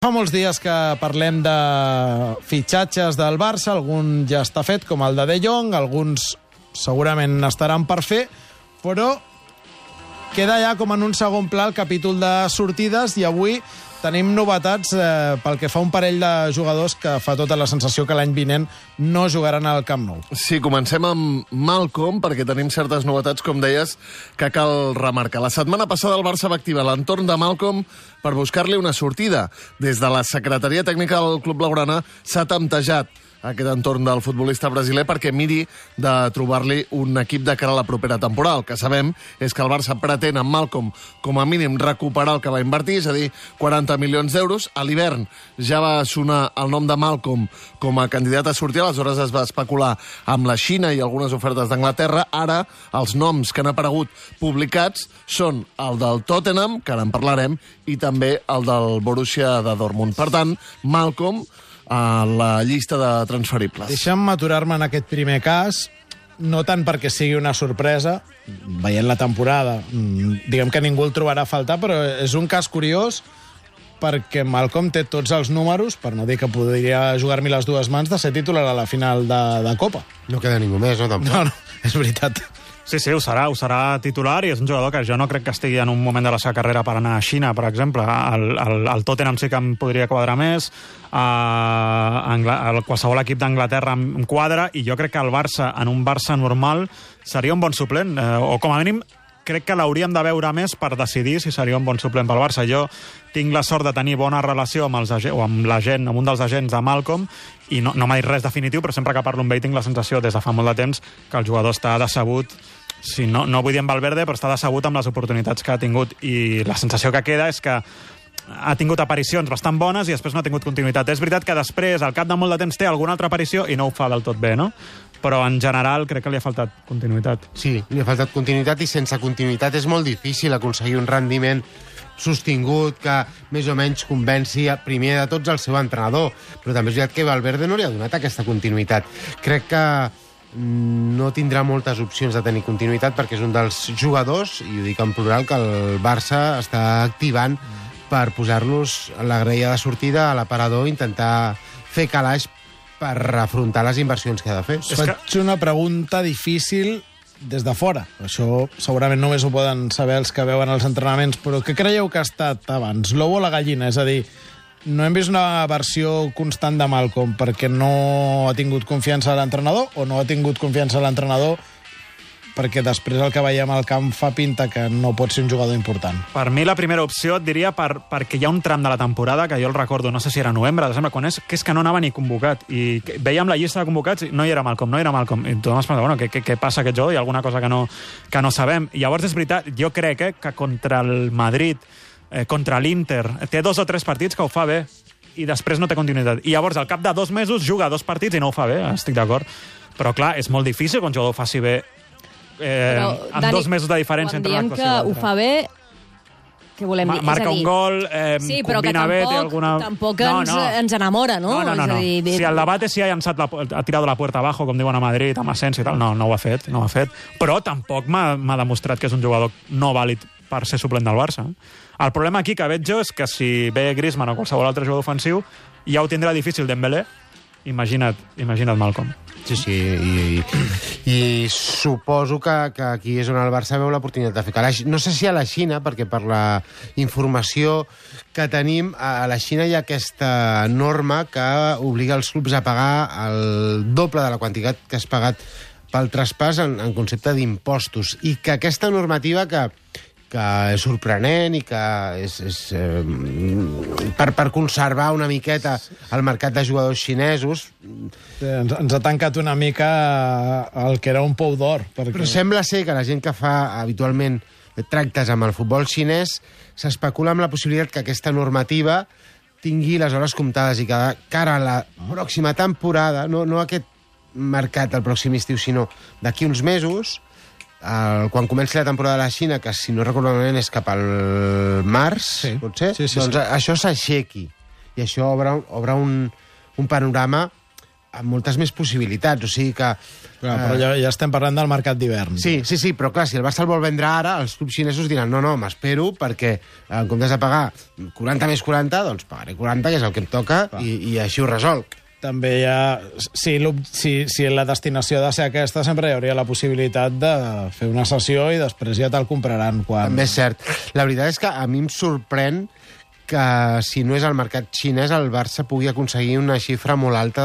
Fa molts dies que parlem de fitxatges del Barça, algun ja està fet, com el de Jong, alguns segurament estaran per fer, però queda ja com en un segon pla el capítol de sortides i avui tenim novetats pel que fa a un parell de jugadors que fa tota la sensació que l'any vinent no jugaran al Camp Nou. Sí, comencem amb Malcom, perquè tenim certes novetats, com deies, que cal remarcar. La setmana passada el Barça va activar l'entorn de Malcom per buscar-li una sortida. Des de la secretaria tècnica del Club Blaugrana s'ha temptejat aquest entorn del futbolista brasiler perquè miri de trobar-li un equip de cara a la propera temporada. El que sabem és que el Barça pretén amb Malcom com a mínim recuperar el que va invertir, és a dir, 40 milions d'euros. A l'hivern ja va sonar el nom de Malcom com a candidat a sortir, aleshores es va especular amb la Xina i algunes ofertes d'Anglaterra. Ara els noms que han aparegut publicats són el del Tottenham, que ara en parlarem, i també el del Borussia de Dortmund. Per tant, Malcom a la llista de transferibles. Deixa'm aturar-me en aquest primer cas, no tant perquè sigui una sorpresa, veient la temporada, diguem que ningú el trobarà a faltar, però és un cas curiós perquè Malcom té tots els números, per no dir que podria jugar-m'hi les dues mans, de ser titular a la final de Copa. No queda ningú més, no? Tampoc. No, és veritat. Sí, ho serà titular i és un jugador que jo no crec que estigui en un moment de la seva carrera per anar a Xina, per exemple. El Tottenham sí que em podria quadrar més, qualsevol equip d'Anglaterra em quadra, i jo crec que el Barça, en un Barça normal, seria un bon suplent, o com a mínim crec que l'hauríem de veure més per decidir si seria un bon suplent pel Barça. Jo tinc la sort de tenir bona relació amb amb un dels agents de Malcom, i no m'ha dit res definitiu, però sempre que parlo amb ell tinc la sensació des de fa molt de temps que el jugador està decebut, si no vull dir en Valverde, però està decebut amb les oportunitats que ha tingut, i la sensació que queda és que ha tingut aparicions bastant bones i després no ha tingut continuïtat. És veritat que després, al cap de molt de temps, té alguna altra aparició i no ho fa del tot bé, no? Però en general crec que li ha faltat continuïtat. Sí, li ha faltat continuïtat, i sense continuïtat és molt difícil aconseguir un rendiment sostingut que més o menys convenci primer de tots el seu entrenador. Però també és veritat que Valverde no li ha donat aquesta continuïtat. Crec que no tindrà moltes opcions de tenir continuïtat perquè és un dels jugadors, i ho dic en plural, que el Barça està activant per posar-los a la graella de sortida, a l'aparador, intentar fer calaix per afrontar les inversions que ha de fer. Faig una pregunta difícil des de fora. Això segurament només ho poden saber els que veuen els entrenaments, però què creieu que ha estat abans, l'ou o la gallina? És a dir, no hem vist una versió constant de Malcom perquè no ha tingut confiança a l'entrenador, o no ha tingut confiança a l'entrenador perquè després el que veiem al camp fa pinta que no pot ser un jugador important? Per mi la primera opció et diria perquè hi ha un tram de la temporada que jo el recordo, no sé si era novembre, desembre, quan que és que no anava ni convocat, i veiem la llista de convocats i no hi era Malcom, i tothom es pensa, bueno, què passa aquest jugador? Hi ha alguna cosa que no sabem. I llavors és veritat, jo crec que contra el Madrid, contra l'Inter, té 2 o 3 partits que ho fa bé i després no té continuïtat. I llavors al cap de 2 mesos juga 2 partits i no ho fa bé, estic d'acord. Però clar, és molt difícil que un jugador ho faci bé amb Dani, 2 mesos de diferència entre una actuació i l'altra. Quan diem que ho fa bé, què volem dir? Marca un gol, sí, combina bé, té alguna... Tampoc ens enamora, no? No. Si el debat és si ha tirat la puerta abajo, com diuen a Madrid, amb Asensio i tal, no ho ha fet. Però tampoc m'ha demostrat que és un jugador no vàlid per ser suplent del Barça. El problema aquí que veig jo és que si ve Griezmann o qualsevol altre jugador ofensiu, ja ho tindrà difícil Dembélé. Imagina't Malcom. Sí, i suposo que aquí és on el Barça veu l'oportunitat de fer calaix. No sé si a la Xina, perquè per la informació que tenim, a la Xina hi ha aquesta norma que obliga els clubs a pagar el doble de la quantitat que has pagat pel traspàs en concepte d'impostos, i que aquesta normativa que és sorprenent i que és per conservar una miqueta el mercat de jugadors xinesos. Ens ha tancat una mica el que era un pou d'or. Però sembla ser que la gent que fa habitualment tractes amb el futbol xinès s'especula amb la possibilitat que aquesta normativa tingui les hores comptades i que cara a la pròxima temporada, no aquest mercat del pròxim estiu, sinó d'aquí uns mesos, quan comenci la temporada de la Xina, que si no recordo malament és cap al març, potser, doncs això s'aixequi, i això obre un panorama amb moltes més possibilitats, o sigui que... Però ja estem parlant del mercat d'hivern. Sí, però clar, si el Barça el vol vendre ara, els clubs xinesos diran no, m'espero, perquè en comptes de pagar 40 més 40, doncs pagaré 40, que és el que em toca, i així ho resolc. També hi ha... Si la destinació ha de ser aquesta, sempre hi hauria la possibilitat de fer una sessió i després ja te'l compraran quan... També és cert. La veritat és que a mi em sorprèn que si no és el mercat xinès el Barça pugui aconseguir una xifra molt alta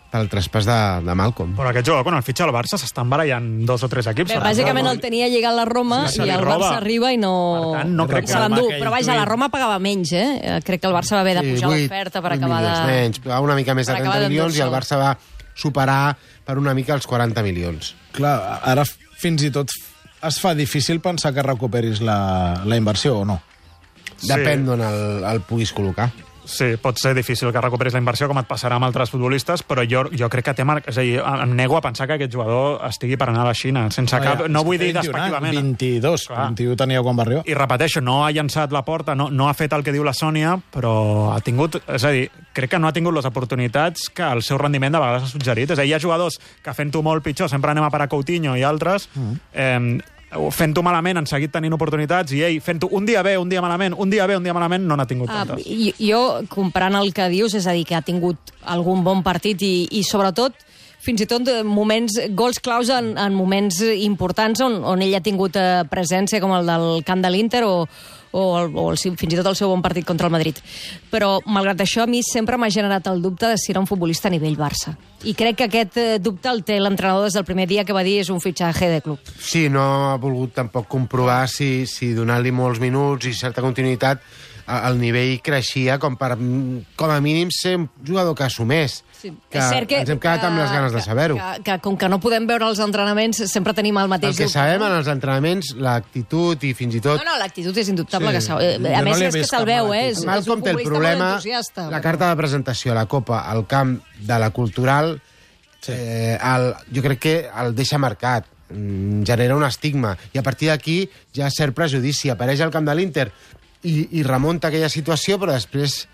pel traspàs de Malcom. Però aquest jugador, quan el fitxa al Barça, s'estan barallant 2 o 3 equips. Bé, bàsicament el tenia lligat la Roma i el Barça arriba i no... Per tant, no crec que... Se l'endú. Però vaja, la Roma pagava menys, Crec que el Barça va haver de pujar l'oferta per acabar de... menys, pagava una mica més de 30 milions i el Barça va superar per una mica els 40 milions. Clar, ara fins i tot es fa difícil pensar que recuperis la inversió o no. Depèn d'on el puguis col·locar. Sí, pot ser difícil que recuperis la inversió, com et passarà amb altres futbolistes, però jo crec que té és a dir, em nego a pensar que aquest jugador estigui per anar a la Xina, sense cap... No vull dir despectivament. 21 tenia quan va arribar. I repeteixo, no ha llançat la porta, no ha fet el que diu la Sònia, però ha tingut... És a dir, crec que no ha tingut les oportunitats que el seu rendiment de vegades ha suggerit. És a dir, hi ha jugadors que fent-ho molt pitjor, sempre anem a parar Coutinho i altres... fent-ho malament han seguit tenint oportunitats i ell fent-ho un dia bé, un dia malament, un dia bé, un dia malament, no n'ha tingut tantes. Jo, comprant el que dius, és a dir, que ha tingut algun bon partit i sobretot, fins i tot gols claus en moments importants on ell ha tingut presència, com el del camp de l'Inter fins i tot el seu bon partit contra el Madrid. Però, malgrat això, a mi sempre m'ha generat el dubte de si era un futbolista a nivell Barça. I crec que aquest dubte el té l'entrenador des del primer dia que va dir és un fitxatge de club. Sí, no ha volgut tampoc comprovar si donant-li molts minuts i certa continuïtat el nivell creixia com a mínim ser un jugador que assumés. Sí. Que ens hem quedat amb les ganes de saber-ho. Que com que no podem veure els entrenaments, sempre tenim el mateix dubte. El que sabem en els entrenaments, l'actitud i fins i tot... No, l'actitud és indubtable. Sí. A més, és que se'l veu, És Malcom té el problema, la carta de presentació a la Copa al camp de la Cultural, jo crec que el deixa marcat, genera un estigma, i a partir d'aquí ja cert prejudici, apareix al camp de l'Inter, i remunta aquella situació, però després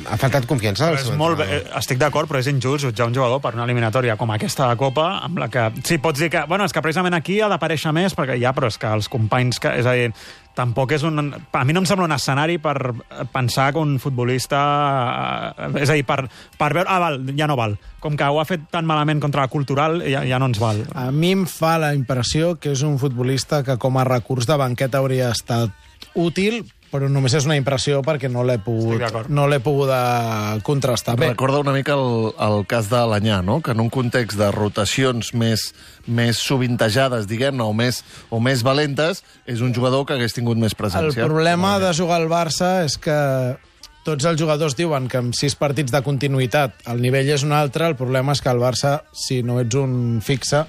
ha faltat confiança. Estic d'acord, però és injust jutjar un jugador per una eliminatòria com aquesta de Copa, amb la que... Sí, pots dir que... és que precisament aquí ha d'aparèixer més, perquè però és que els companys... És a dir, tampoc és un... A mi no em sembla un escenari per pensar que un futbolista... És a dir, per veure... val, ja no val. Com que ho ha fet tan malament contra la Cultural, ja no ens val. A mi em fa la impressió que és un futbolista que com a recurs de banqueta hauria estat útil, però només és una impressió perquè no l'he pogut contrastar. Bé. Recorda una mica el cas de l'Anyà, no? Que en un context de rotacions més sovintejades, diguem-ne, o més valentes, és un jugador que hagués tingut més presència. El problema de jugar al Barça és que tots els jugadors diuen que amb 6 partits de continuïtat el nivell és un altre, el problema és que al Barça, si no ets un fixe,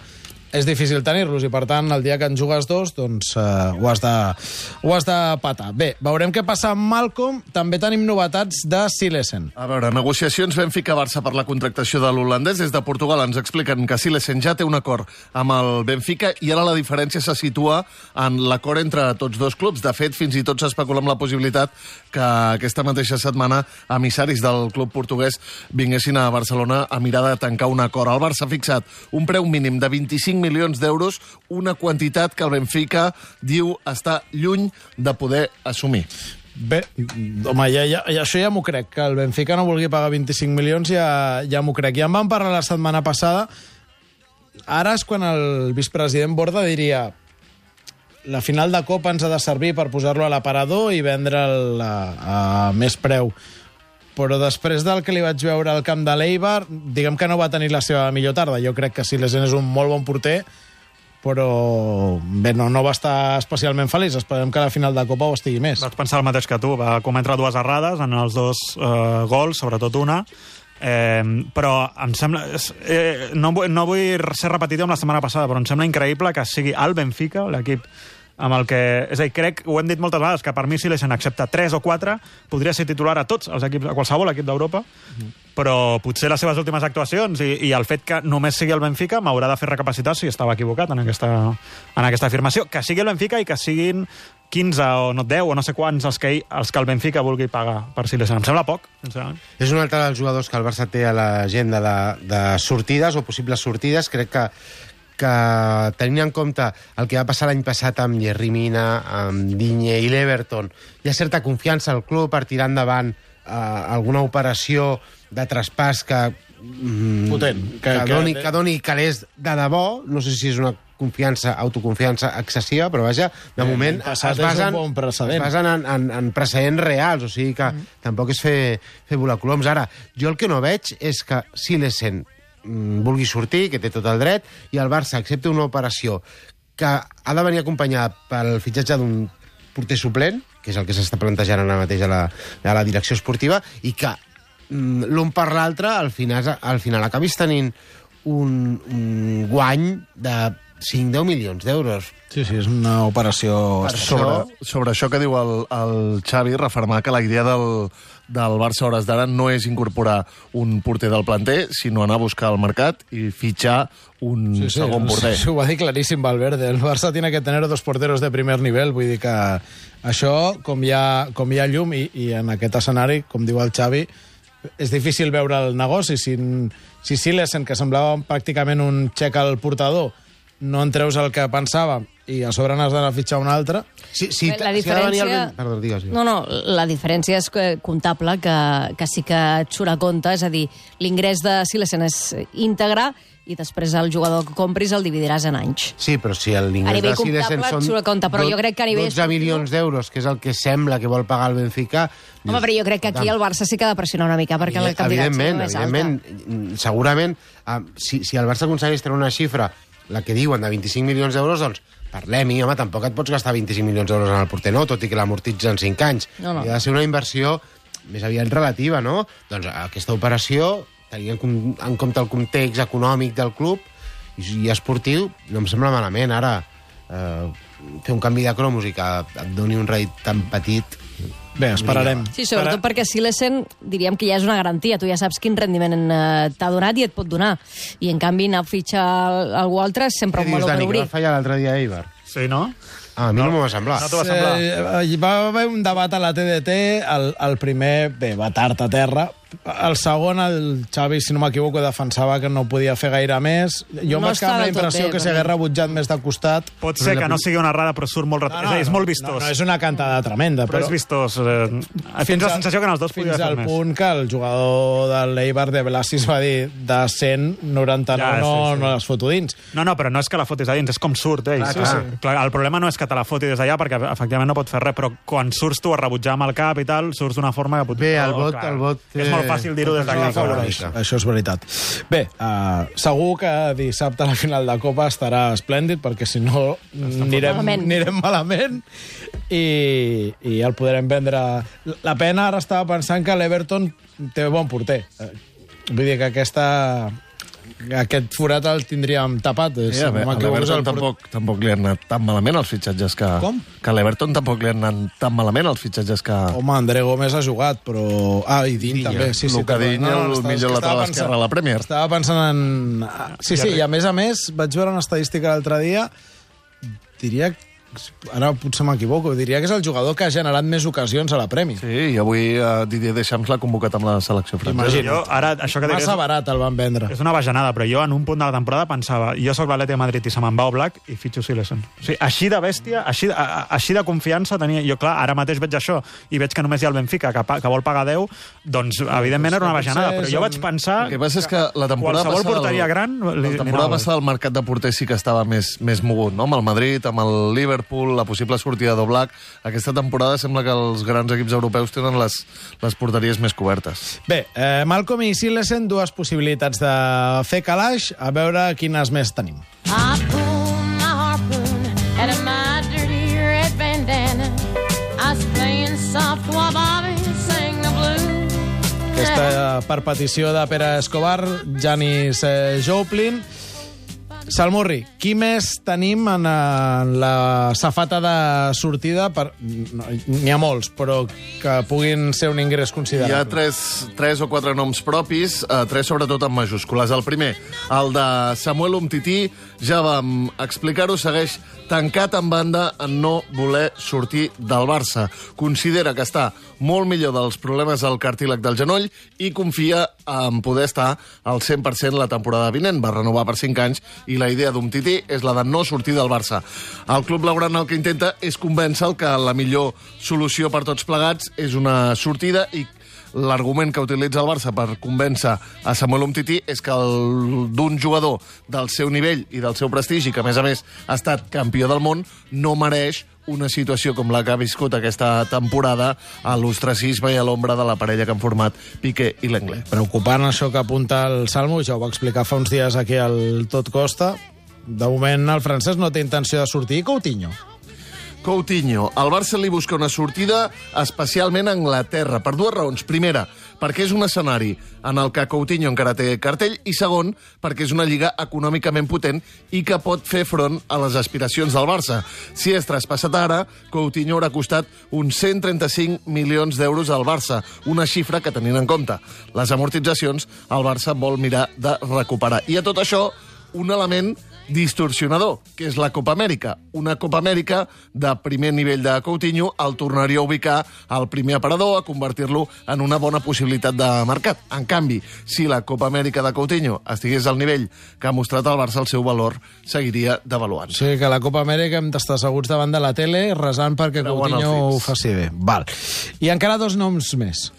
és difícil tenir-los i, per tant, el dia que en jugues 2, doncs ho has de patar. Bé, veurem què passa amb Malcom. També tenim novetats de Silesen. A veure, negociacions Benfica-Barça per la contractació de l'holandès. Des de Portugal ens expliquen que Silesen ja té un acord amb el Benfica i ara la diferència se situa en l'acord entre tots dos clubs. De fet, fins i tot s'especula amb la possibilitat que aquesta mateixa setmana emissaris del club portuguès vinguessin a Barcelona a mirar de tancar un acord. El Barça ha fixat un preu mínim de 25 milions d'euros, una quantitat que el Benfica diu està lluny de poder assumir. Bé, home, això ja m'ho crec, que el Benfica no vulgui pagar 25 milions, ja m'ho crec. Ja en vam parlar la setmana passada. Ara és quan el vicepresident Borda diria la final de Copa ens ha de servir per posar-lo a l'aparador i vendre'l a més preu. Però després del que li vaig veure al camp de l'Eibar, diguem que no va tenir la seva millor tarda. Jo crec que Silesen és un molt bon porter, però bé, no va estar especialment feliç. Esperem que a la final de Copa ho estigui més. Vaig pensar el mateix que tu. Va cometre 2 errades en els 2 gols, sobretot una. Però em sembla... no vull ser repetitiu amb la setmana passada, però em sembla increïble que sigui el Benfica, l'equip amb el que... És a dir, crec, ho hem dit moltes vegades, que per mi Silesen accepta 3 o 4, podria ser titular a tots els equips, a qualsevol equip d'Europa, però potser les seves últimes actuacions i el fet que només sigui el Benfica m'haurà de fer recapacitar si estava equivocat en aquesta afirmació. Que sigui el Benfica i que siguin 15 o no 10 o no sé quants els que el Benfica vulgui pagar per Silesen. Em sembla poc, sincerament. És un altre dels jugadors que el Barça té a l'agenda de sortides o possibles sortides. Crec que tenint en compte el que va passar l'any passat amb Yerry Mina, amb Digne i l'Everton, hi ha certa confiança al club per tirar endavant alguna operació de traspàs que potent, que doni calés de debò. No sé si és una autoconfiança excessiva, però vaja, de moment es basen en precedents reals, o sigui que tampoc és fer volar coloms. Ara, jo el que no veig és que Silesen vulgui sortir, que té tot el dret, i el Barça accepta una operació que ha de venir acompanyada pel fitxatge d'un porter suplent, que és el que s'està plantejant ara mateix a la direcció esportiva, i que l'un per l'altre al final acabis tenint un guany de 5-10 milions d'euros. Sí, és una operació... Sobre això que diu el Xavi, refermar que la idea del Barça a hores d'ara no és incorporar un porter del planter, sinó anar a buscar al mercat i fitxar un segon porter. Sí, ho va dir claríssim Valverde. El Barça tiene que tener 2 porteros de primer nivel. Vull dir que això, com hi ha llum, i en aquest escenari, com diu el Xavi, és difícil veure el negoci. Si Silesen, que semblava pràcticament un xec al portador, no en treus el que pensava i a sobre n'has d'anar a fitxar un altre... La diferència... Perdó, digues. No, la diferència és comptable, que sí que et surt a compte, és a dir, l'ingrés de Silesen és íntegre i després el jugador que compris el dividiràs en anys. Sí, però si l'ingrés de Silesen són 12 milions d'euros, que és el que sembla que vol pagar el Benfica... Home, però jo crec que aquí el Barça sí que ha de pressionar una mica perquè la quantitat sigui més alta. Evidentment, segurament, si el Barça aconsegueix treure una xifra, la que diuen de 25 milions d'euros, doncs parlem-hi, home, tampoc et pots gastar 25 milions d'euros en el porter, no, tot i que l'amortitza en 5 anys. No. I ha de ser una inversió més aviat relativa, no? Doncs aquesta operació, tenint en compte el context econòmic del club i esportiu, no em sembla malament. Ara, fer un canvi de cromos i que et doni un rèdit tan petit... Bé, esperarem. Sí, sobretot perquè Silesen, diríem que ja és una garantia. Tu ja saps quin rendiment t'ha donat i et pot donar. I, en canvi, anar a fitxar algú altre és sempre un meló per obrir. Què dius, Dani, que va fallar l'altre dia a Eibar? Sí, no? A mi no m'ho va semblar. No t'ho va semblar? Va haver un debat a la TDT, el primer, va tard a terra. El segon, el Xavi, si no m'equivoco, defensava que no podia fer gaire més. Jo m'ha quedat la impressió que s'hagués rebutjat més de costat. Pot ser que no sigui una errada, però surt molt... És molt vistós. No, és una cantada tremenda. Però és vistós. Tens la sensació que en els dos podia fer més. Fins al punt que el jugador de l'Eibar de Blasis va dir de 199 no les foto dins. No, però no és que la fotis a dins, és com surt ell. El problema no és que te la foti des d'allà, perquè efectivament no pot fer res, però quan surts tu a rebutjar amb el cap i tal, surts d'una forma que... Bé, el vot... És molt fàcil dir-ho des d'aquí. Això és veritat. Bé, segur que dissabte a la final de Copa estarà esplèndid, perquè si no anirem malament i el podrem vendre. La pena, ara estava pensant que l'Everton té bon porter. Vull dir que aquest forat el tindríem tapat. A l'Everton tampoc li han anat tan malament els fitxatges que... Com? Que a l'Everton tampoc li han anat tan malament els fitxatges que... Home, André Gómez ha jugat, però... i Digne també. Luka Digne, el millor lateral esquerre a la Premier. Estava pensant en... Sí, i a més, vaig veure una estadística l'altre dia, diria que ara potser m'equivoco, diria que és el jugador que ha generat més ocasions a la Premier. Sí, i avui Didier Deschamps l'ha convocat amb la selecció francesa. Jo, ara, això que massa barat el van vendre. És una bajanada, però jo en un punt de la temporada pensava, jo sóc l'Atleti de Madrid i se me'n va Oblak i fitxo Silesen. O sigui, així de bèstia, així de confiança tenia... Jo, clar, ara mateix veig això i veig que només hi ha el Benfica, que vol pagar 10, doncs, evidentment, era una bajanada, però jo vaig pensar... El que passa és que la temporada qualsevol porteria gran... La temporada passada el mercat de porters sí que estava més mogut, no? Amb el Madrid, amb el Liverpool, la possible sortida d'Oblak. Aquesta temporada sembla que els grans equips europeus tenen les porteries més cobertes. Bé, Malcom i Silesen, 2 possibilitats de fer calaix, a veure quines més tenim. Aquesta per petició de Pere Escobar, Janis Joplin. Salmurri, qui més tenim en la safata de sortida? N'hi ha molts, però que puguin ser un ingrés considerable. Hi ha tres o quatre noms propis, tres sobretot en majúscules. El primer, el de Samuel Umtiti, ja vam explicar-ho, segueix tancat en banda en no voler sortir del Barça. Considera que està molt millor dels problemes al cartílag del genoll i confia en poder estar al 100% la temporada vinent. Va renovar per 5 anys i la idea d'Umtiti és la de no sortir del Barça. El club blaugrana el que intenta és convèncer que la millor solució per tots plegats és una sortida i l'argument que utilitza el Barça per convèncer a Samuel Umtiti és que d'un jugador del seu nivell i del seu prestigi, que a més ha estat campió del món, no mereix una situació com la que ha viscut aquesta temporada a l'ostracisme i a l'ombra de la parella que han format Piqué i Lenglet. Preocupant això que apunta el Salmo, ja ho va explicar fa uns dies aquí al Tot Costa. De moment el francès no té intenció de sortir. Coutinho. El Barça li busca una sortida especialment a Anglaterra, per dues raons. Primera, perquè és un escenari en el que Coutinho encara té cartell, i segon, perquè és una lliga econòmicament potent i que pot fer front a les aspiracions del Barça. Si és traspassat ara, Coutinho haurà costat uns 135 milions d'euros al Barça, una xifra que, tenint en compte les amortitzacions, el Barça vol mirar de recuperar. I a tot això, un element distorsionador, que és la Copa Amèrica. Una Copa Amèrica de primer nivell de Coutinho el tornaria a ubicar al primer aparador, a convertir-lo en una bona possibilitat de mercat. En canvi, si la Copa Amèrica de Coutinho estigués al nivell que ha mostrat el Barça, el seu valor seguiria devaluant. Sí, que la Copa Amèrica hem d'estar asseguts davant de la tele resant perquè Coutinho ho faci bé. Val. I encara 2 noms més.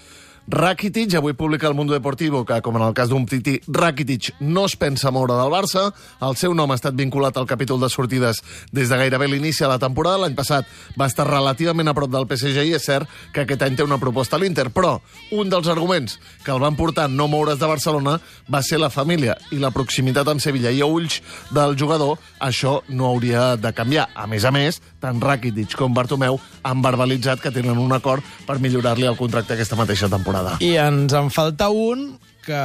Rakitic, avui publica el Mundo Deportivo que, com en el cas d'Umtiti, Rakitic no es pensa moure del Barça. El seu nom ha estat vinculat al capítol de sortides des de gairebé l'inici de la temporada. L'any passat va estar relativament a prop del PSG i és cert que aquest any té una proposta a l'Inter. Però un dels arguments que el van portar a no moure's de Barcelona va ser la família i la proximitat amb Sevilla. I a ulls del jugador això no hauria de canviar. A més, tant Rakitic com Bartomeu han verbalitzat que tenen un acord per millorar-li el contracte aquesta mateixa temporada. I ens en falta un que,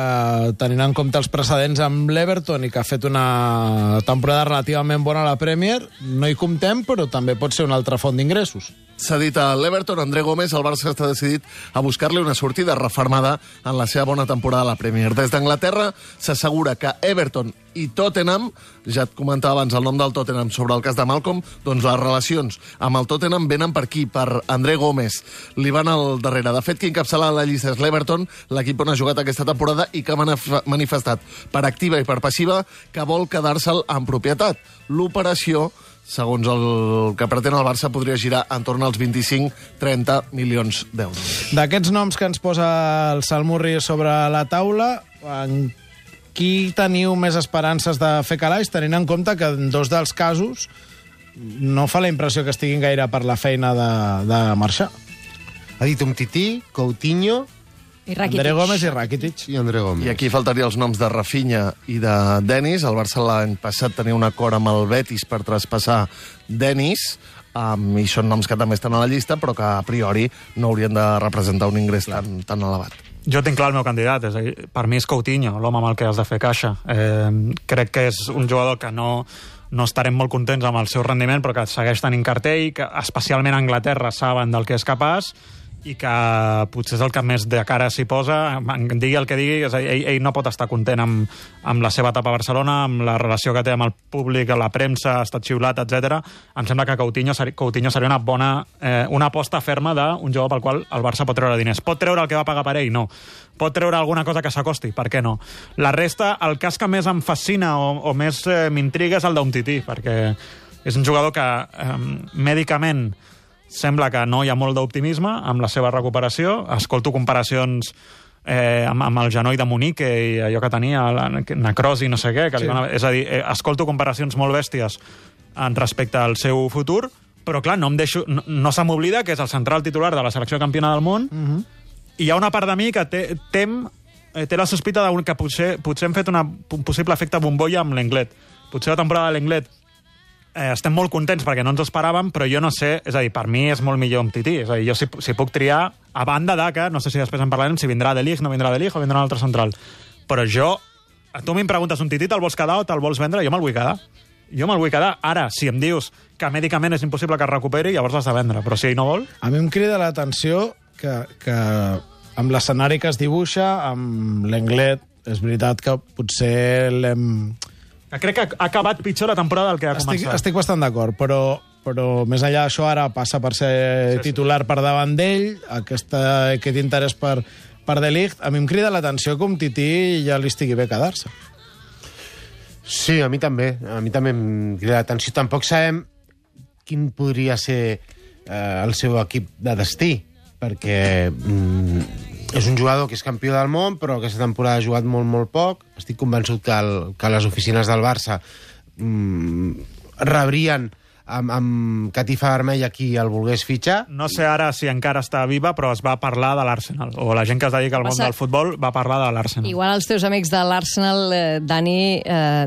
tenint en compte els precedents amb l'Everton i que ha fet una temporada relativament bona a la Premier, no hi comptem, però també pot ser una altra font d'ingressos. S'ha dit a l'Everton, André Gómez, el Barça està decidit a buscar-li una sortida refermada en la seva bona temporada a la Premier. Des d'Anglaterra s'assegura que Everton i Tottenham, ja et comentava abans el nom del Tottenham sobre el cas de Malcolm, doncs les relacions amb el Tottenham venen per aquí, per André Gómez. Li van al darrere. De fet, qui encapçala la llista és l'Everton, l'equip on ha jugat aquesta temporada i que ha manifestat per activa i per passiva que vol quedar-se'l en propietat. L'operació, segons el que pretén el Barça, podria girar entorn als 25-30 milions d'euros. D'aquests noms que ens posa el Salmurri sobre la taula, en qui teniu més esperances de fer calaix, tenint en compte que en 2 dels casos no fa la impressió que estiguin gaire per la feina de marxar? Ha dit Umtiti, Coutinho I Rakitic. André Gómez i Rakitic. i André Gómez. I aquí faltaria els noms de Rafinha i de Denis. El Barça l'any passat tenia un acord amb el Betis per traspassar Denis, i són noms que també estan a la llista, però que a priori no haurien de representar un ingrés tan elevat. Jo tinc clar el meu candidat, és a dir, per mi és Coutinho, l'home amb el que has de fer caixa. Crec que és un jugador que no estarem molt contents amb el seu rendiment, però que segueix tenint cartell, que especialment a Anglaterra saben del que és capaç, i que potser és el que més de cara s'hi posa, digui el que digui, és a dir, ell no pot estar content amb la seva etapa a Barcelona, amb la relació que té amb el públic, la premsa, ha estat xiulat, etc. Em sembla que Coutinho seria una aposta ferma d'un jugador pel qual el Barça pot treure diners. Pot treure el que va pagar per ell? No. Pot treure alguna cosa que s'acosti? Per què no? La resta, el cas que més em fascina o més m'intriga és el d'Umtiti, perquè és un jugador que mèdicament sembla que no hi ha molt d'optimisme amb la seva recuperació. Escolto comparacions amb el genoll de Munique i allò que tenia, la necrosi, no sé què. Sí. És a dir, escolto comparacions molt bèsties respecte al seu futur, però clar, no se m'oblida que és el central titular de la selecció campiona del món, i hi ha una part de mi que té la sospita que potser hem fet un possible efecte bombolla amb l'Englet. Potser la temporada de l'Englet estem molt contents perquè no ens ho esperàvem, però jo no sé, és a dir, per mi és molt millor Umtiti. És a dir, jo si puc triar, a banda de que, no sé si després en parlarem, si vindrà de Ligt, no vindrà de Ligt o vindrà un altre central. Però jo Tu m'hi preguntes, un Tití te'l vols quedar o te'l vols vendre? Jo me'l vull quedar. Jo me'l vull quedar. Ara, si em dius que mèdicament és impossible que es recuperi, llavors l'has de vendre. Però si ell no vol... A mi em crida l'atenció que amb l'escenari que es dibuixa, amb l'Englet, és veritat que potser l'hem... Crec que ha acabat pitjor la temporada del que ha començat. Estic bastant d'acord, però més enllà d'això ara passa per ser titular per davant d'ell, aquest interès per De Ligt. A mi em crida l'atenció que un Tití ja li estigui bé quedar-se. Sí, a mi també em crida l'atenció. Tampoc sabem quin podria ser el seu equip de destí, perquè és un jugador que és campió del món, però aquesta temporada ha jugat molt, molt poc. Estic convençut que les oficines del Barça rebrien amb catifa vermella qui el volgués fitxar. No sé ara si encara està viva, però es va parlar de l'Arsenal. O la gent que es dedica al món del futbol va parlar de l'Arsenal. Igual els teus amics de l'Arsenal, Dani,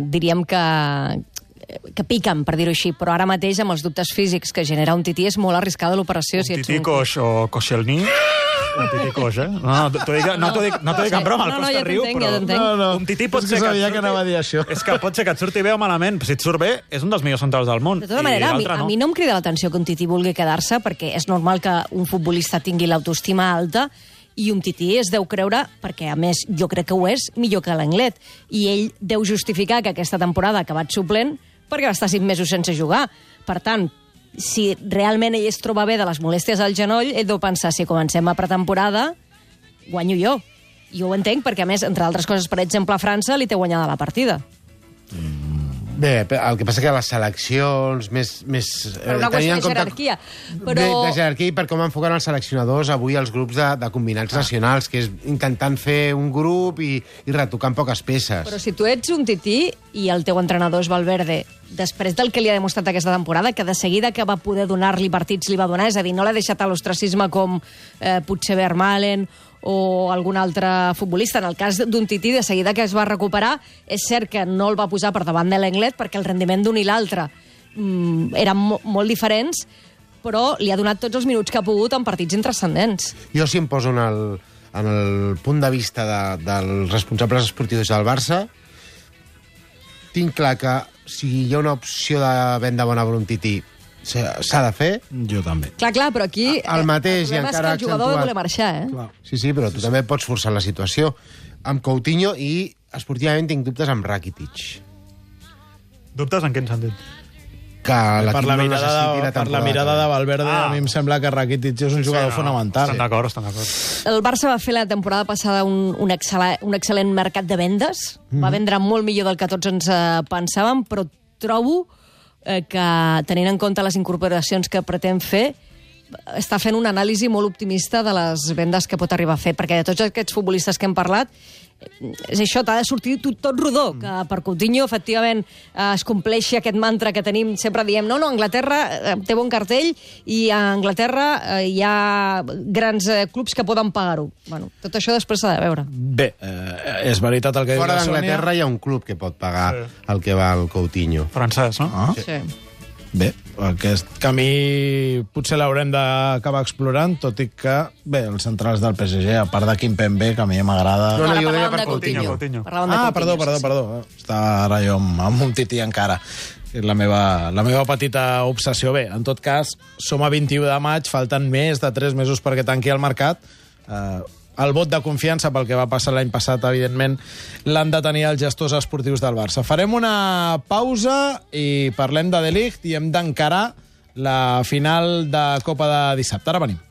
diríem que piquen, per dir-ho així, però ara mateix amb els dubtes físics que genera un Tití és molt arriscada l'operació. Un Tití Coix o Koscielny... Un Tití Coix, eh? No t'ho dic en broma, el Costa riu, però... Un Tití pot ser que sabia que anava a dir això. És que pot ser que et surti bé o malament, però si et surt bé, és un dels millors centrals del món. De tota manera, a mi no em crida l'atenció que un Tití vulgui quedar-se, perquè és normal que un futbolista tingui l'autoestima alta, i un Tití es deu creure, perquè a més jo crec que ho és, millor que l'Englet. I ell deu justificar que aquesta temporada ha acabat suplent perquè va estar 5 mesos sense jugar. Per tant, si realment ell es troba bé de les molèsties al genoll, ell deu pensar, si comencem a pretemporada, guanyo jo. I ho entenc, perquè a més, entre altres coses, per exemple, a França li té guanyada la partida. Bé, el que passa que les seleccions més Per una qüestió de jerarquia. De jerarquia i per com enfoquen els seleccionadors avui els grups de combinats nacionals, que és intentant fer un grup i retocant poques peces. Però si tu ets un Tití i el teu entrenador és Valverde, després del que li ha demostrat aquesta temporada, que de seguida que va poder donar-li partits li va donar, és a dir, no l'ha deixat a l'ostracisme com potser Vermaelen o algun altre futbolista. En el cas d'un Tití, de seguida que es va recuperar, és cert que no el va posar per davant de l'Englet perquè el rendiment d'un i l'altre eren molt diferents, però li ha donat tots els minuts que ha pogut en partits intrascendents. Jo si em poso en el punt de vista dels responsables esportius del Barça, tinc clar que si hi ha una opció de venda bona per un Tití, s'ha de fer. Jo també. Clar, però aquí el mateix, el problema és que el jugador ha de voler marxar, eh? Clar. Sí, però tu també pots forçar la situació. Amb Coutinho i, esportivament, tinc dubtes amb Rakitic. Dubtes en quin sentit? Que l'equip no necessiti la temporada. Per la mirada de Valverde, a mi em sembla que Rakitic és un jugador fonamental. Estan d'acord. El Barça va fer la temporada passada un excel·lent mercat de vendes. Va vendre molt millor del que tots ens pensàvem, però trobo que, tenint en compte les incorporacions que pretén fer, està fent una anàlisi molt optimista de les vendes que pot arribar a fer, perquè de tots aquests futbolistes que hem parlat, és això, t'ha de sortir tot rodó, que per Coutinho, efectivament, es compleixi aquest mantra que tenim, sempre diem, no, Anglaterra té bon cartell i a Anglaterra hi ha grans clubs que poden pagar-ho. Bueno, tot això després s'ha de veure. Bé, és veritat el que diu la Sònia. Fora d'Anglaterra hi ha un club que pot pagar el que va al Coutinho. Francès, no? Sí. Bé, aquest camí potser l'haurem d'acabar explorant, tot i que, bé, els centrals del PSG, a part de Kimpembe, que a mi m'agrada... No, jo deia parlàvem per de Coutinho. Parlàvem de Coutinho. Perdó. Està ara jo amb un Tití encara. És la meva petita obsessió. Bé, en tot cas, som a 21 de maig, falten més de 3 mesos perquè tanqui el mercat. El vot de confiança pel que va passar l'any passat, evidentment, l'han de tenir els gestors esportius del Barça. Farem una pausa i parlem de Ligt i hem d'encarar la final de Copa de dissabte. Ara venim.